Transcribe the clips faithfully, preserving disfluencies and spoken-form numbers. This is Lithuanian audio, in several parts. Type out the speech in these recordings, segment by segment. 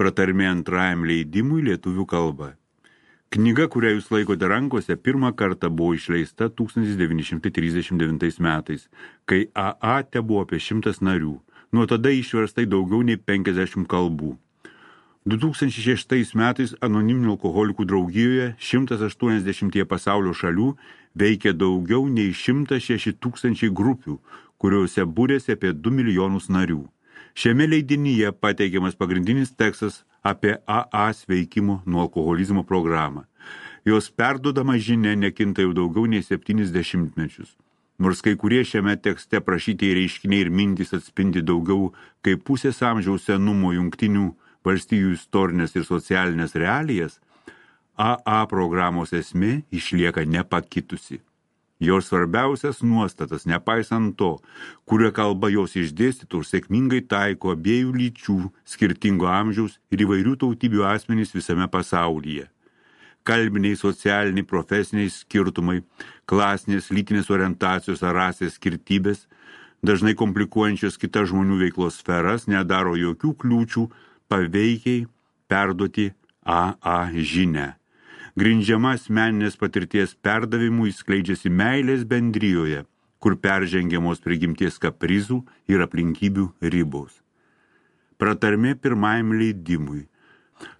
pratarmė antrajam leidimui lietuvių kalba. Knyga, kurią jūs laikote rankose, pirmą kartą buvo išleista tūkstantis devyni šimtai trisdešimt devintais metais, kai A A te buvo apie šimtas narių. Nuo tada išverstai daugiau nei penkiasdešimt kalbų. du tūkstančiai šeštais metais anoniminių alkoholikų draugijoje šimtas aštuoniasdešimt pasaulio šalių veikia daugiau nei šimtas šeši tūkstančiai grupių, kuriuose būrėsi apie du milijonus narių. Šiame leidinyje pateikiamas pagrindinis tekstas apie A A sveikimo nuo alkoholizmo programą. Jos perduodama žinia nekinta jau daugiau nei septynis dešimtmečius. Nors kai kurie šiame tekste prašyti reiškiniai ir mintys atspindi daugiau kaip pusės amžiaus senumo jungtinių valstijų istorinės ir socialinės realijas, A A programos esmė išlieka nepakitusi. Jos svarbiausias nuostatas, nepaisant to, kurio kalba jos išdėstytų ir sėkmingai taiko abiejų lyčių, skirtingo amžiaus ir įvairių tautybių asmenys visame pasaulyje. Kalbiniai, socialiniai, profesiniai skirtumai, klasinės, lytinės orientacijos ar rasės skirtybės, dažnai komplikuojančios kitas žmonių veiklos sferas, nedaro jokių kliūčių paveikiai perduoti A A žinią. Grindžiama asmeninės patirties perdavimu įskleidžiasi meilės bendrijoje, kur peržengiamos prigimties kaprizų ir aplinkybių ribos. Pratarmė pirmajam leidimui.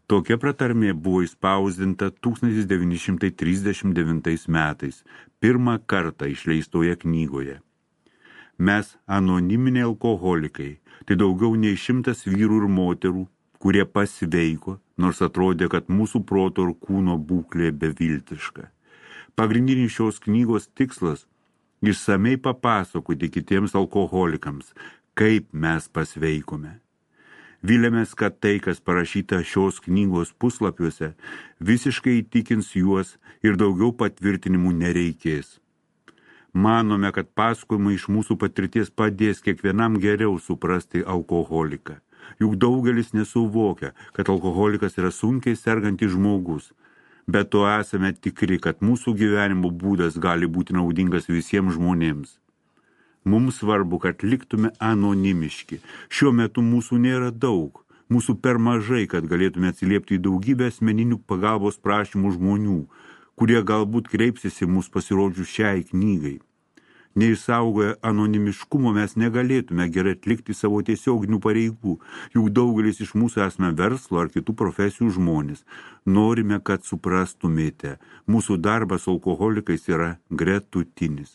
Tokia pratarmė buvo įspausdinta tūkstantis devyni šimtai trisdešimt devintais metais, pirmą kartą išleistoje knygoje. Mes, anoniminiai alkoholikai, tai daugiau nei šimtas vyrų ir moterų, kurie pasveiko, nors atrodė, kad mūsų proto ir kūno būklė beviltiška. Pagrindinis šios knygos tikslas – išsamei papasakoti kitiems alkoholikams, kaip mes pasveikome. Viliamės, kad tai, kas parašyta šios knygos puslapiuose, visiškai įtikins juos ir daugiau patvirtinimų nereikės. Manome, kad pasakojimai iš mūsų patirties padės kiekvienam geriau suprasti alkoholiką. Juk daugelis nesuvokia, kad alkoholikas yra sunkiai sergantis žmogus, bet to esame tikri, kad mūsų gyvenimo būdas gali būti naudingas visiems žmonėms. Mums svarbu, kad liktume anonimiški. Šiuo metu mūsų nėra daug, mūsų per mažai, kad galėtume atsiliepti į daugybę asmeninių pagalbos prašymų žmonių, kurie galbūt kreipsis į mus pasirodžius šiai knygai. Neįsaugoję anonimiškumo mes negalėtume gerai atlikti savo tiesioginių pareigų, juk daugelis iš mūsų esame verslo ar kitų profesijų žmonės. Norime, kad suprastumėte, mūsų darbas su alkoholikais yra gretutinis.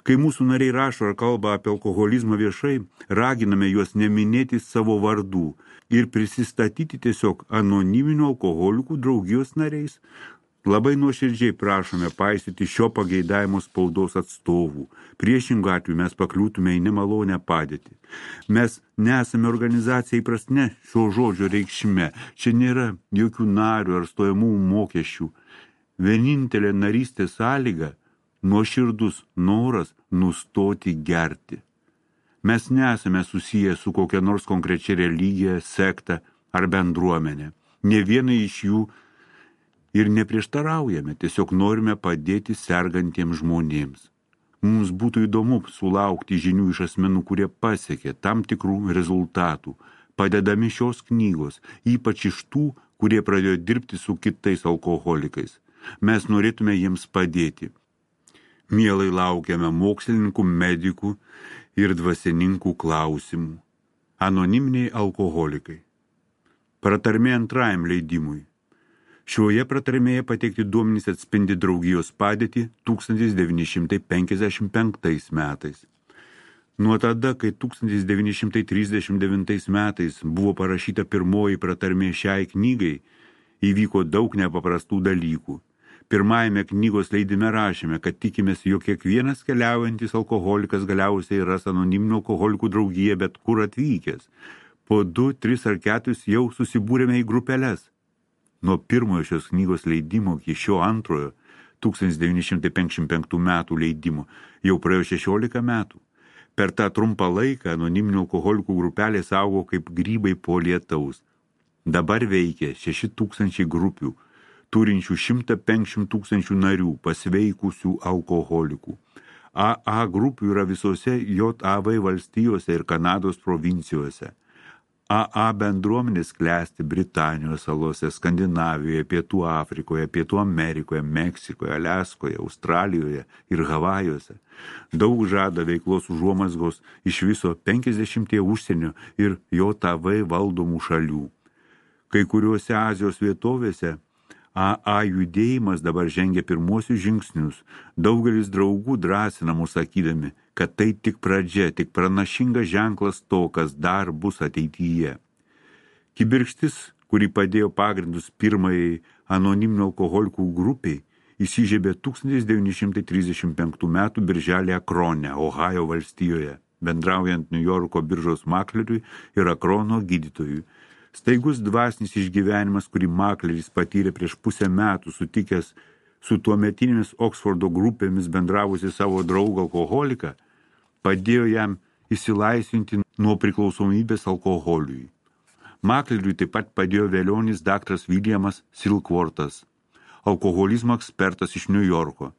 Kai mūsų nariai rašo ar kalba apie alkoholizmą viešai, raginame juos neminėti savo vardų ir prisistatyti tiesiog anoniminių alkoholikų draugijos nariais. Labai nuoširdžiai prašome paisyti šio pageidavimo spaudos atstovų. Priešingu atveju mes pakliūtume į nemalonę padėtį. Mes nesame organizacija įprasne šio žodžio reikšme. Čia nėra jokių narių ar stojamų mokesčių. Vienintelė narystės sąlyga – nuoširdus noras nustoti gerti. Mes nesame susiję su kokia nors konkrečia religija, sekta ar bendruomenė. Ne vienai iš jų ir neprieštaraujame, tiesiog norime padėti sergantiems žmonėms. Mums būtų įdomu sulaukti žinių iš asmenų, kurie pasiekė tam tikrų rezultatų, padedami šios knygos, ypač iš tų, kurie pradėjo dirbti su kitais alkoholikais. Mes norėtume jiems padėti. Mielai laukiame mokslininkų, medikų ir dvasininkų klausimų. Anoniminiai alkoholikai. Pratarmė antrajam leidimui. Šioje pratarmėje pateikti duomenys atspindi draugijos padėtį tūkstantis devyni šimtai penkiasdešimt penktais metais. Nuo tada, kai tūkstantis devyni šimtai trisdešimt devintais metais buvo parašyta pirmoji pratarmė šiai knygai, įvyko daug nepaprastų dalykų. Pirmajame knygos leidime rašėme, kad tikimės, jog kiekvienas keliaujantis alkoholikas galiausiai ras anoniminių alkoholikų draugiją bet kur atvykęs. Po du, tris ar keturis jau susibūrėme į grupeles. Nuo pirmojo šios knygos leidimo iki šio antrojo, tūkstantis devyni šimtai penkiasdešimt penktų metų leidimo, jau praėjo šešiolika metų. Per tą trumpą laiką anoniminių alkoholikų grupelės augo kaip grybai po lietaus. Dabar veikia šeši tūkstančiai grupių, turinčių šimtą penkiasdešimt tūkstančių narių, pasveikusių alkoholikų. A A grupių yra visose J A V valstijose ir Kanados provincijose. A A bendruomenės klesti Britanijos salose, Skandinavijoje, Pietų Afrikoje, Pietų Amerikoje, Meksikoje, Aliaskoje, Australijoje ir Havajuose. Daug žada veiklos užuomazgos iš viso penkiasdešimties užsienio ir J V valdomų šalių. Kai kuriuose Azijos vietovėse A A judėjimas dabar žengia pirmuosius žingsnius. Daugelis draugų drąsina mus sakydami, kad tai tik pradžia, tik pranašingas ženklas to, kas dar bus ateityje. Kibirkštis, kuri padėjo pagrindus pirmajai anoniminių alkoholikų grupiai, įsižiebė tūkstantis devyni šimtai trisdešimt penktų metų birželį Akrone, Ohajo valstijoje, bendraujant Niujorko biržos makleriui ir Akrono gydytojui. Staigus dvasinis išgyvenimas, kurį makleris patyrė prieš pusę metų sutikęs su tuometinėmis Oksfordo grupėmis bendravusi savo draugą alkoholiką, padėjo jam išsilaisvinti nuo priklausomybės alkoholiui. Makleriui taip pat padėjo velionis daktaras Williamas Silkwortas, alkoholizmo ekspertas iš Niujorko,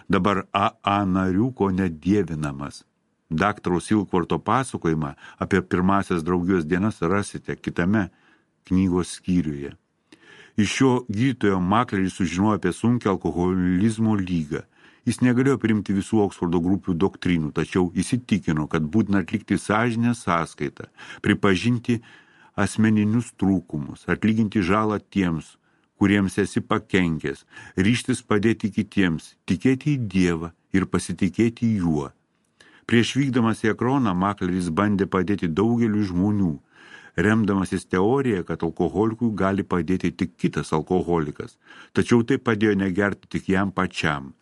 dabar A A narių ko nedievinamas. Daktaro Silkworto pasakojimą apie pirmasias draugijos dienas rasite kitame knygos skyriuje. Iš šio gydytojo makleris sužinojo apie sunkią alkoholizmo lygą. Jis negalėjo priimti visų Oksfordo grupių doktrinų, tačiau įsitikino, kad būtina atlikti sąžinę sąskaitą, pripažinti asmeninius trūkumus, atlyginti žalą tiems, kuriems esi pakenkęs, ryžtis padėti kitiems, tikėti į Dievą ir pasitikėti juo. Prieš vykdamas į Akroną makleris bandė padėti daugeliu žmonių, remdamasis teorija, kad alkoholikui gali padėti tik kitas alkoholikas, tačiau tai padėjo negerti tik jam pačiam.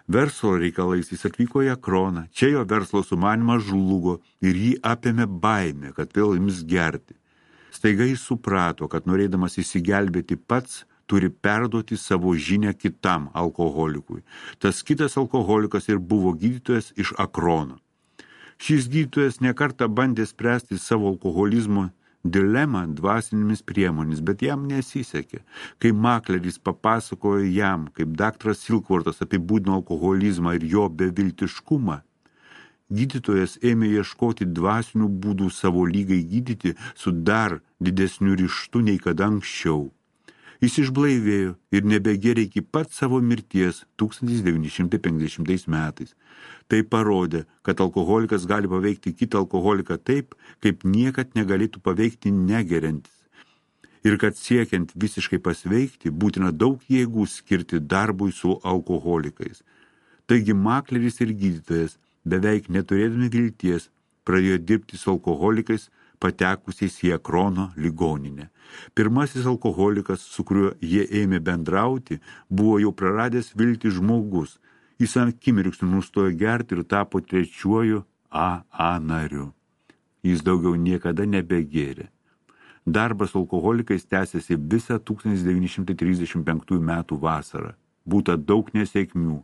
Verslo reikalais jis atvyko į Akroną, čia jo verslo sumanymas žlugo ir jį apėmė baimė, kad vėl ims gerti. Staiga jis suprato, kad norėdamas įsigelbėti pats, turi perduoti savo žinią kitam alkoholikui. Tas kitas alkoholikas ir buvo gydytojas iš Akrono. Šis gydytojas nekartą bandė spręsti savo alkoholizmo dilemą dvasinėmis priemonės, bet jam nesisekė. Kai makleris papasakojo jam, kaip daktaras Silkwortas apibūdino alkoholizmą ir jo beviltiškumą, gydytojas ėmė ieškoti dvasinių būdų savo lygai gydyti su dar didesniu ryžtu nei kada anksčiau. Jis išblaivėjo ir nebegėrė iki pat savo mirties tūkstantis devyni šimtai penkiasdešimtais metais. Tai parodė, kad alkoholikas gali paveikti kitą alkoholiką taip, kaip niekad negalėtų paveikti negeriantis. Ir kad siekiant visiškai pasveikti, būtina daug jėgų skirti darbui su alkoholikais. Taigi makleris ir gydytojas, beveik neturėdami vilties, pradėjo dirbti su alkoholikais, patekusiais į Akrono ligoninę. Pirmasis alkoholikas, su kuriuo jie ėmė bendrauti, buvo jau praradęs viltį žmogus. Jis akimirksniu nustojo gerti ir tapo trečiuoju A A nariu. Jis daugiau niekada nebegėrė. Darbas su alkoholikais tęsėsi visą tūkstantis devyni šimtai trisdešimt penktųjų metų vasarą. Būta daug nesėkmių,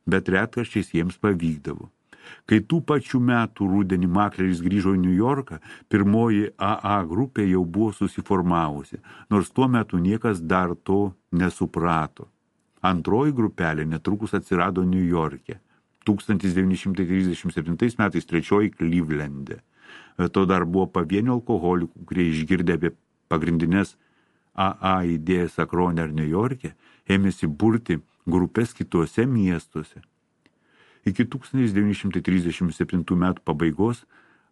bet retkarčiais jiems pavykdavo. Kai tų pačių metų rudenį makleris grįžo į Niujorką, pirmoji A A grupė jau buvo susiformavusi, nors tuo metu niekas dar to nesuprato. Antroji grupelė netrukus atsirado Niujorke, tūkstantis devyni šimtai trisdešimt septintais metais trečioji Clevelande. To dar buvo pavienių alkoholikų, kurie išgirdę apie pagrindinės A A idėjas Akrone ar Niujorke, ėmėsi burti grupės kituose miestuose. Iki tūkstantis devyni šimtai trisdešimt septintų metų pabaigos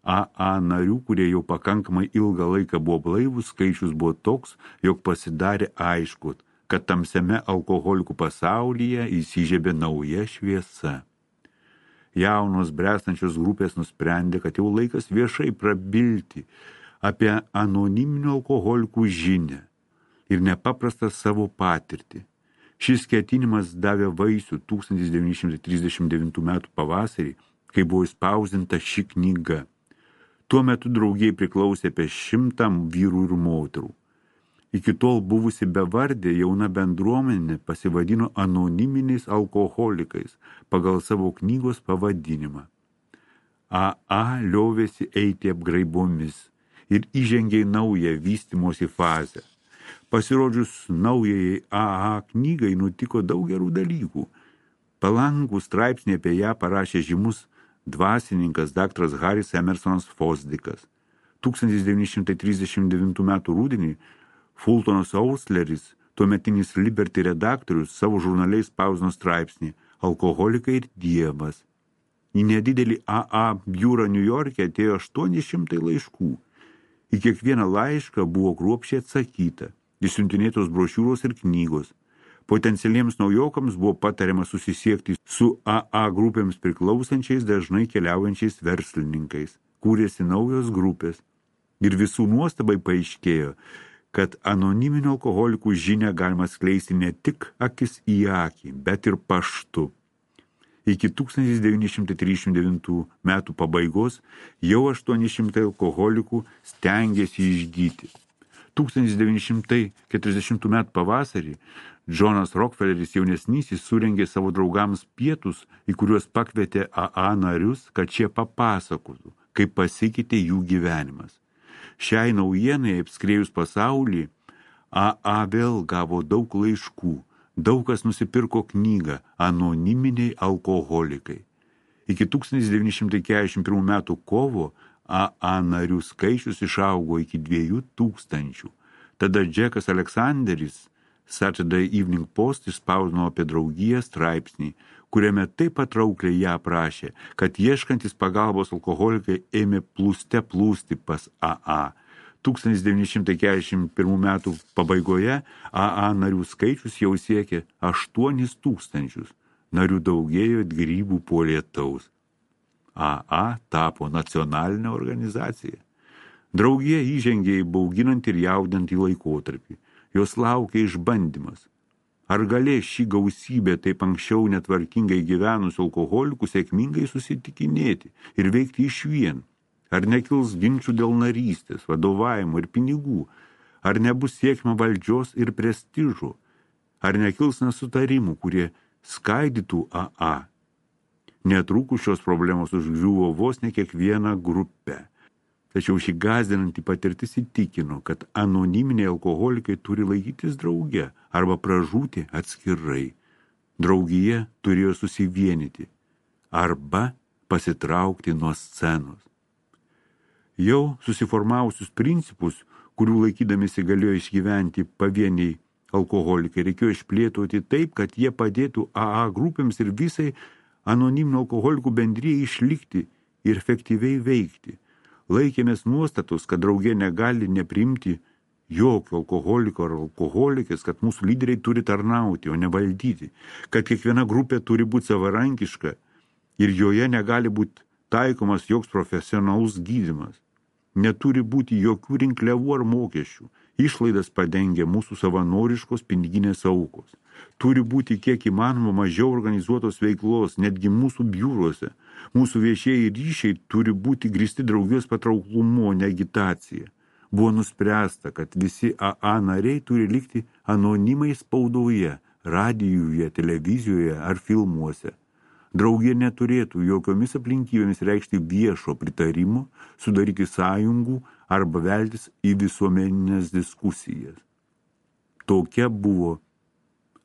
A A narių, kurie jau pakankamai ilgą laiką buvo blaivus, skaičius buvo toks, jog pasidarė aišku, kad tamsiame alkoholikų pasaulyje įsižiebė nauja šviesa. Jaunos bręstančios grupės nusprendė, kad jau laikas viešai prabilti apie anoniminių alkoholikų žinią ir nepaprastą savo patirtį. Šis ketinimas davė vaisių tūkstantis devyni šimtai trisdešimt devintų metų pavasarį, kai buvo išspausdinta ši knyga. Tuo metu draugijai priklausė apie šimtą vyrų ir moterų. Iki tol buvusi bevardė jauna bendruomenė pasivadino anoniminiais alkoholikais pagal savo knygos pavadinimą. A A liovėsi eiti apgraibomis ir įžengė į naują vystymosi fazę. Pasirodžius naujai A A knygai nutiko daug gerų dalykų. Palankų straipsnį apie ją parašė žymus dvasininkas daktaras Haris Emersonas Fosdikas. tūkstantis devyni šimtai trisdešimt devintų metų rudenį Fultonas Oursleris, tuometinis Liberty redaktorius, savo žurnaliais spausdino straipsnį Alkoholikai ir Dievas. Į nedidelį A A biurą Niujorke atėjo aštuoni šimtai laiškų. Į kiekvieną laišką buvo kruopščiai atsakyta, išsiuntinėtos brošiūros ir knygos. Potencialiems naujokams buvo patariama susisiekti su A A grupėms priklausančiais dažnai keliaujančiais verslininkais. Kūrėsi naujos grupės. Ir visų nuostabai paaiškėjo, kad anoniminio alkoholikų žinią galima skleisti ne tik akis į akį, bet ir paštu. Iki tūkstantis devyni šimtai trisdešimt devintų metų pabaigos jau aštuoni šimtai alkoholikų stengėsi išgyti. tūkstantis devyni šimtai keturiasdešimtų metų pavasarį Džonas Rokfeleris jaunesnysis surengė savo draugams pietus, į kuriuos pakvietė A A narius, kad šie papasakotų, kaip pasikeitė jų gyvenimas. Šiai naujienai apskrėjus pasaulį, A A vėl gavo daug laiškų, daug kas nusipirko knygą Anoniminiai alkoholikai. Iki tūkstantis devyni šimtai keturiasdešimt pirmų metų kovo A A narių skaičius išaugo iki dviejų tūkstančių. Tada Džekas Aleksanderis Saturday Evening Post išspausdino apie draugiją straipsnį, kuriame taip patraukliai ją aprašė, kad ieškantis pagalbos alkoholikai ėmė plūste plūsti pas A A. tūkstantis devyni šimtai keturiasdešimt pirmų metų pabaigoje A A narių skaičius jau siekė aštuonis tūkstančius. Narių daugėjo it grybų po lietaus. A A tapo nacionalinė organizacija. Draugija įžengė į bauginantį ir jaudinantį laikotarpį. Jos laukia išbandymas. Ar galės šį gausybę taip anksčiau netvarkingai gyvenusių alkoholikų sėkmingai susitikinėti ir veikti išvien? Ar nekils ginčių dėl narystės, vadovavimo ir pinigų? Ar nebus siekiama valdžios ir prestižo? Ar nekils nesutarimų, kurie skaidytų A A? Netrukus šios problemos užgriuvo vos ne kiekvieną grupę. Tačiau šį gąsdinantį patirtis įtikino, kad anoniminiai alkoholikai turi laikytis drauge arba pražūti atskirai. Draugija turėjo susivienyti arba pasitraukti nuo scenos. Jau susiformavusius principus, kurių laikydamisi galėjo išgyventi pavieniai alkoholikai, reikėjo išplėtoti taip, kad jie padėtų A A grupėms ir visai anoniminių alkoholikų bendrijai išlikti ir efektyviai veikti. Laikėmės nuostatos, kad draugė negali nepriimti jokio alkoholiko ar alkoholikės, kad mūsų lyderiai turi tarnauti, o ne valdyti, kad kiekviena grupė turi būti savarankiška ir joje negali būti taikomas joks profesionalus gydymas. Neturi būti jokių rinkliavų ar mokesčių. Išlaidas padengia mūsų savanoriškos piniginės aukos. Turi būti kiek įmanoma mažiau organizuotos veiklos, netgi mūsų biuruose. Mūsų viešieji ryšiai turi būti grįsti draugijos patrauklumu, o ne agitacija. Buvo nuspręsta, kad visi A A nariai turi likti anonimai spaudoje, radijuje, televizijoje ar filmuose. Draugija neturėtų jokiomis aplinkybėmis reikšti viešo pritarimo, sudaryti sąjungų arba veltis į visuomeninės diskusijas. Tokia buvo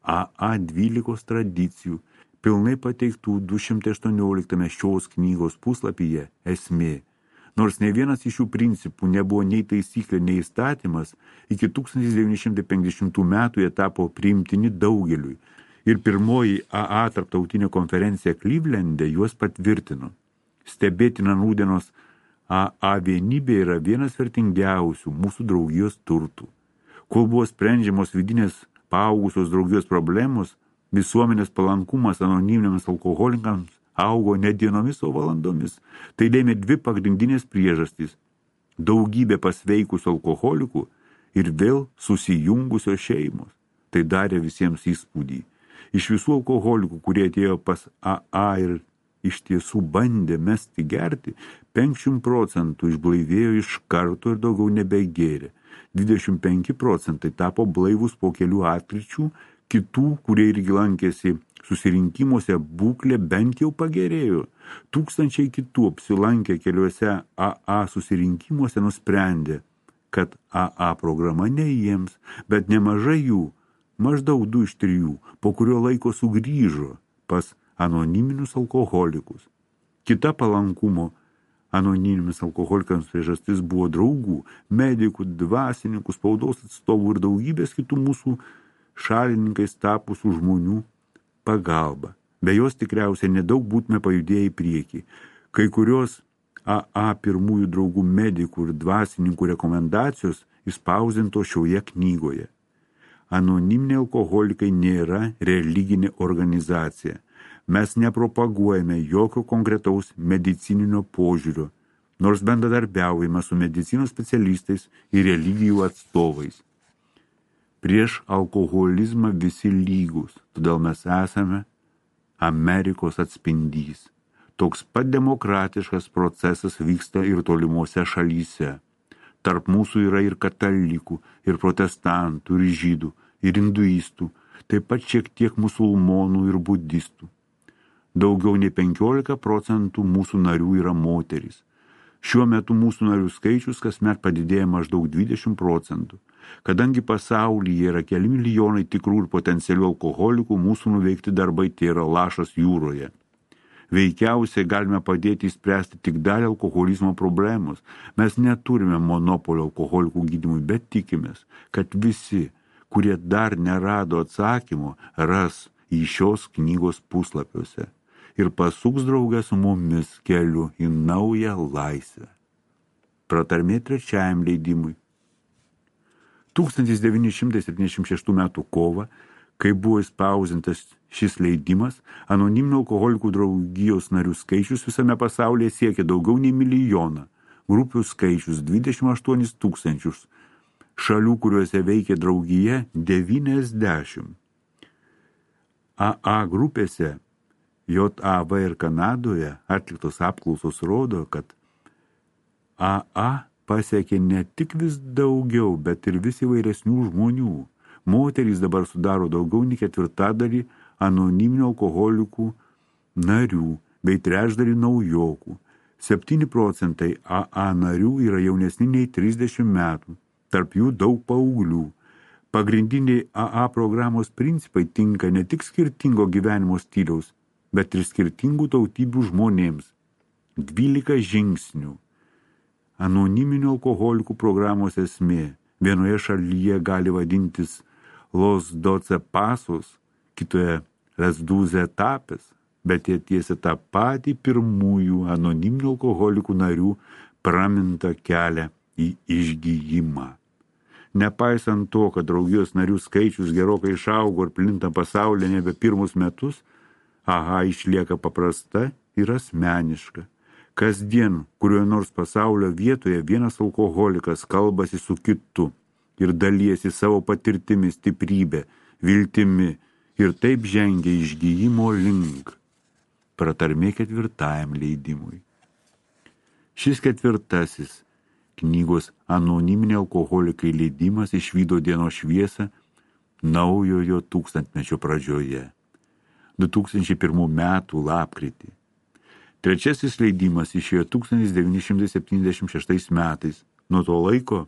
A A dvylikos tradicijų, pilnai pateiktų du šimtai aštuonioliktame šios knygos puslapyje esmė. Nors ne vienas iš šių principų nebuvo nei taisyklė, nei įstatymas, iki tūkstantis devyni šimtai penkiasdešimtų metų jie tapo priimtini daugeliui. Ir pirmoji A A tarptautinė konferencija Clevelande juos patvirtino. Stebėtina nūdienos A A vienybė yra vienas vertingiausių mūsų draugijos turtų. Kol buvo sprendžiamos vidinės paaugusios draugijos problemos, visuomenės palankumas anoniminiams alkoholikams augo ne dienomis, o valandomis. Tai lėmė dvi pagrindinės priežastys – daugybė pasveikusių alkoholikų ir vėl susijungusios šeimos. Tai darė visiems įspūdį. Iš visų alkoholikų, kurie atėjo pas A A ir iš tiesų bandė mesti gerti, penkiasdešimt procentų išblaivėjo iš karto ir daugiau nebegėrė. dvidešimt penki procentai tapo blaivus po kelių atkryčių, kitų, kurie irgi lankėsi susirinkimuose, būklė bent jau pagerėjo. Tūkstančiai kitų apsilankę keliuose A A susirinkimuose nusprendė, kad A A programa ne jiems, bet nemažai jų, maždaug du iš trijų, po kurio laiko sugrįžo pas anoniminius alkoholikus. Kita palankumo anoniminis alkoholikams priežastis buvo draugų, medikų, dvasininkų, spaudos atstovų ir daugybės kitų mūsų šalininkais tapusių žmonių pagalba. Be jos tikriausiai nedaug būtume pajudėję į priekį. Kai kurios A A pirmųjų draugų medikų ir dvasininkų rekomendacijos įspausdinto šioje knygoje. Anoniminiai alkoholikai nėra religinė organizacija. Mes nepropaguojame jokio konkretaus medicininio požiūrio, nors bendradarbiaujame su medicinos specialistais ir religijų atstovais. Prieš alkoholizmą visi lygus, todėl mes esame Amerikos atspindys. Toks pat demokratiškas procesas vyksta ir tolimuose šalyse. Tarp mūsų yra ir katalikų, ir protestantų, ir žydų, ir hinduistų, taip pat šiek tiek musulmonų ir budistų. Daugiau nei penkiolika procentų mūsų narių yra moterys. Šiuo metu mūsų narių skaičius kasmet padidėja maždaug dvidešimt procentų. Kadangi pasaulyje yra keli milijonai tikrų ir potencialių alkoholikų, mūsų nuveikti darbai tai yra lašas jūroje. Veikiausiai galime padėti įspręsti tik dalį alkoholizmo problemos. Mes neturime monopolio alkoholikų gydymui, bet tikimės, kad visi, kurie dar nerado atsakymo, ras į šios knygos puslapiuose ir pasuks draugę su mumis keliu į naują laisvę. Pratarmė trečiajam leidimui. tūkstantis devyni šimtai septyniasdešimt šeštų metų kovą, kai buvo įspausintas šis leidimas, anoniminių alkoholikų draugijos narių skaičius visame pasaulyje siekia daugiau nei milijoną, grupių skaičius dvidešimt aštuonis tūkstančius, šalių, kuriuose veikia draugija devyniasdešimt. A A grupėse J A V ir Kanadoje atliktos apklausos rodo, kad A A pasiekė ne tik vis daugiau, bet ir vis įvairesnių žmonių. Moterys dabar sudaro daugiau nei ketvirtadalį anoniminių alkoholikų narių bei trečdalį naujokų. septyni procentai A A narių yra jaunesni nei trisdešimt metų, tarp jų daug paauglių. Pagrindiniai A A programos principai tinka ne tik skirtingo gyvenimo stiliaus, bet ir skirtingų tautybių žmonėms. dvylika žingsnių. Anoniminių alkoholikų programos esmė vienoje šalyje gali vadintis Los doce pasos, kitoje Las doce etapes, bet jie tiesia tą patį pirmųjų anoniminių alkoholikų narių pramintą kelią į išgijimą. Nepaisant to, kad draugijos narių skaičius gerokai išaugo ir plinta pasaulyje nebe pirmus metus, A A išlieka paprasta ir asmeniška. Kasdien, kurioje nors pasaulio vietoje vienas alkoholikas kalbasi su kitu ir dalijasi savo patirtimi, stiprybė, viltimi ir taip žengia išgijimo link. Pratarmė ketvirtajam leidimui. Šis ketvirtasis knygos Anoniminiai alkoholikai leidimas išvydo dienos šviesą naujojo tūkstantmečio pradžioje, du tūkstančiai pirmų metų lapkritį. Trečiasis leidimas išėjo tūkstantis devyni šimtai septyniasdešimt šeštais metais. Nuo to laiko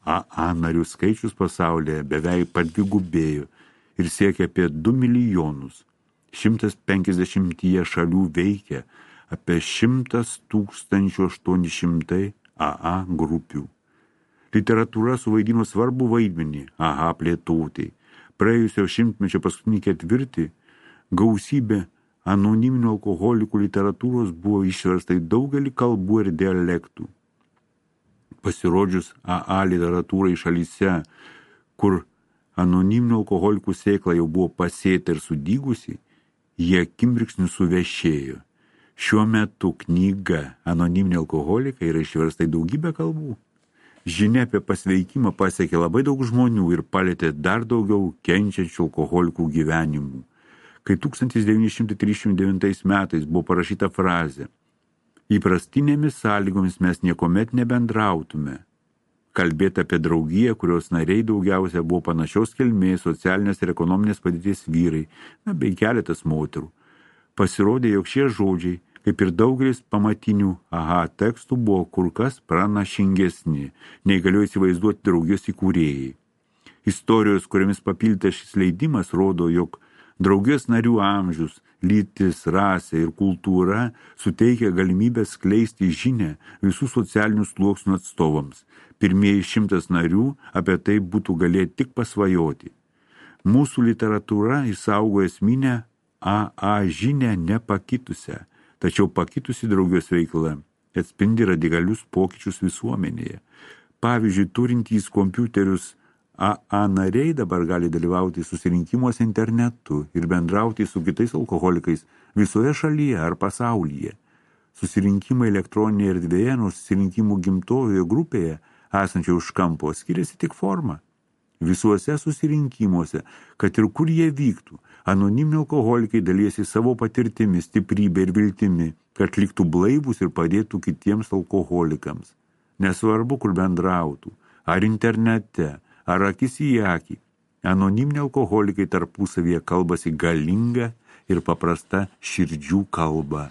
A A narių skaičius pasaulyje beveik padvigubėjo ir siekia apie du milijonus. šimtas penkiasdešimtyje šalių veikia apie šimtas tūkstančių aštuoni šimtai A A grupių. Literatūra suvaidino svarbų vaidmenį A A plėtotei. Praėjusio šimtmečio paskutinį ketvirtį gausybė anoniminių alkoholikų literatūros buvo išversta į daugelį kalbų ir dialektų. Pasirodžius A A literatūrai šalyse, kur anoniminių alkoholikų sėkla jau buvo pasėta ir sudygusi, jie akimirksniu suvešėjo. Šiuo metu knyga Anoniminiai alkoholikai yra išversta į daugybę kalbų. Žinia apie pasveikimą pasiekė labai daug žmonių ir palietė dar daugiau kenčiančių alkoholikų gyvenimų. Kai tūkstantis devyni šimtai trisdešimt devintais metais buvo parašyta frazė "Įprastinėmis sąlygomis mes niekomet nebendrautume", kalbėti apie draugiją, kurios nariai daugiausia buvo panašios kilmės, socialinės ir ekonominės padėties vyrai, na, bei keletas moterų. Pasirodė, jog šie žodžiai, kaip ir daugelis pamatinių A A tekstų, buvo kur kas pranašingesni, nei galėjo įsivaizduoti draugijos įkūrėjai. Istorijos, kuriamis papildytas šis leidimas, rodo, jog Draugijos narių amžius, lytis, rasė ir kultūra suteikia galimybę skleisti žinią visų socialinių sluoksnių atstovams. Pirmieji šimtas narių apie tai būtų galėję tik pasvajoti. Mūsų literatūra išsaugo esminę A A žinią nepakitusią, tačiau pakitusi draugijos veikla atspindi radikalius pokyčius visuomenėje. Pavyzdžiui, turintys kompiuterius A A nariai dabar gali dalyvauti susirinkimuose internetu ir bendrauti su kitais alkoholikais visoje šalyje ar pasaulyje. Susirinkimai elektroninėje erdvėje nuo susirinkimų gimtojoje grupėje esančio už kampo skiriasi tik forma. Visuose susirinkimuose, kad ir kur jie vyktų, anoniminiai alkoholikai dalyjasi savo patirtimi, stiprybė ir viltimi, kad liktų blaivūs ir padėtų kitiems alkoholikams. Nesvarbu, kur bendrautų, ar internete, ar akis į akį, anoniminiai alkoholikai tarpusavyje kalbasi galingą ir paprastą širdžių kalbą.